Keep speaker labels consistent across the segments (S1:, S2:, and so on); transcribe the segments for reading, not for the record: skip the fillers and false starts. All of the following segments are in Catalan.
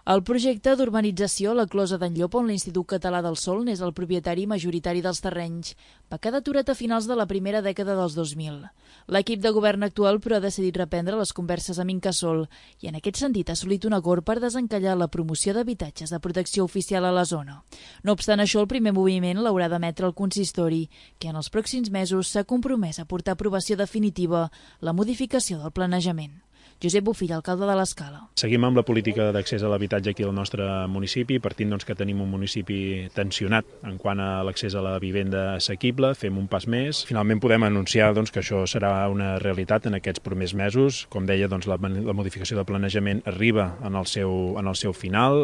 S1: El projecte d'urbanització La Closa d'en Llop, on l'Institut Català del Sòl n'és el propietari majoritari dels terrenys, va quedar aturat a finals de la primera dècada dels 2000. L'equip de govern actual, però, ha decidit reprendre les converses amb Incasòl i en aquest sentit ha assolit un acord per desencallar la promoció d'habitatges de protecció oficial a la zona. No obstant això, el primer moviment l'haurà d'emetre el consistori, que en els pròxims mesos s'ha compromès a portar a aprovació definitiva la modificació del planejament. Josep Bofill, alcalde de l'Escala.
S2: Seguim amb la política d'accés a l'habitatge aquí al nostre municipi, partint que tenim un municipi tensionat en quant a l'accés a la vivenda assequible, fem un pas més. Finalment podem anunciar que això serà una realitat en aquests primers mesos. Com deia, la modificació del planejament arriba en el seu final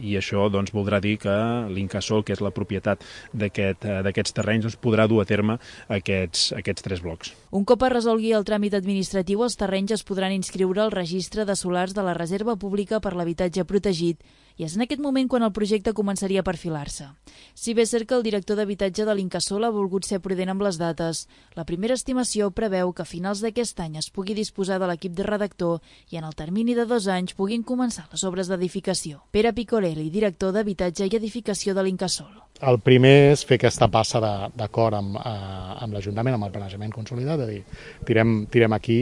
S2: i això voldrà dir que l'Incasòl, que és la propietat d'aquests terrenys, podrà dur a terme aquests 3 blocs.
S1: Un cop es resolgui el tràmit administratiu, els terrenys es podran inscriure al registre de solars de la Reserva Pública per l'Habitatge Protegit i és en aquest moment quan el projecte començaria a perfilar-se. Si bé és cert que el director d'habitatge de l'Incasòl ha volgut ser prudent amb les dates, la primera estimació preveu que a finals d'aquest any es pugui disposar de l'equip de redactor i en el termini de 2 anys puguin començar les obres d'edificació. Pere Picorelli, director d'Habitatge i Edificació de l'Incasòl.
S3: El primer és fer aquesta passa d'acord amb l'Ajuntament, amb el planejament consolidat, de dir, tirem aquí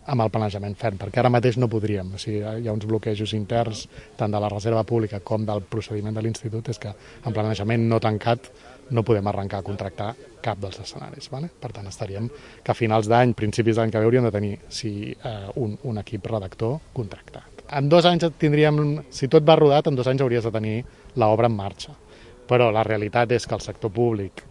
S3: amb el planejament ferm, perquè ara mateix no podríem. O sigui, hi ha uns bloquejos interns tant de la reserva pública com del procediment de l'Institut, és que en planejament no tancat no podem arrencar a contractar cap dels escenaris. Vale? Per tant, estaríem que a finals d'any, principis d'any que ve, hauríem de tenir un equip redactor contractat. En 2 anys tindríem, si tot va rodat, en 2 anys hauries de tenir l'obra en marxa. Però la realitat és que el sector públic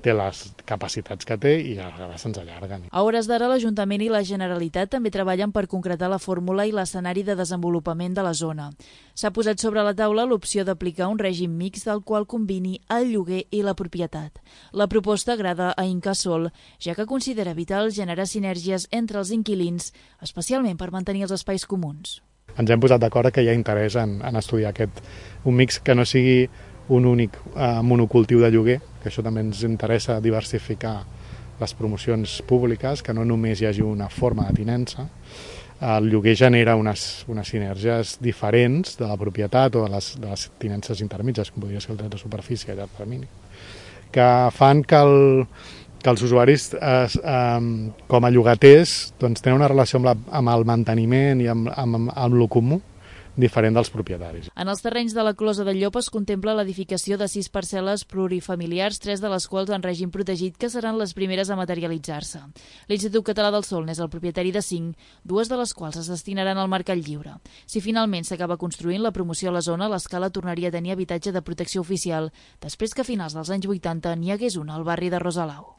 S3: té les capacitats que té i a vegades se'ns allarguen.
S1: A hores d'ara, l'Ajuntament i la Generalitat també treballen per concretar la fórmula i l'escenari de desenvolupament de la zona. S'ha posat sobre la taula l'opció d'aplicar un règim mixt del qual combini el lloguer i la propietat. La proposta agrada a Incasòl, ja que considera vital generar sinergies entre els inquilins, especialment per mantenir els espais comuns.
S3: Ens hem posat d'acord que hi ha interès en estudiar un mix que no sigui un únic monocultiu de lloguer, que això també ens interessa diversificar les promocions públiques, que no només hi hagi una forma de tinença. El lloguer genera unes sinergies diferents de la propietat o de les tinences intermitges, com podria ser el dret de superfície a llarg termini, que fan que els usuaris com a llogaters tenen una relació amb el manteniment i amb lo comú diferent dels propietaris.
S1: En els terrenys de la Closa d'en Llop es contempla l'edificació de 6 parcel·les plurifamiliars, 3 de les quals en règim protegit, que seran les primeres a materialitzar-se. L'Institut Català del Sòl n'és el propietari de 5, 2 de les quals es destinaran al mercat lliure. Si finalment s'acaba construint la promoció a la zona, l'Escala tornaria a tenir habitatge de protecció oficial, després que a finals dels anys 80 n'hi hagués una al barri de Rosalau.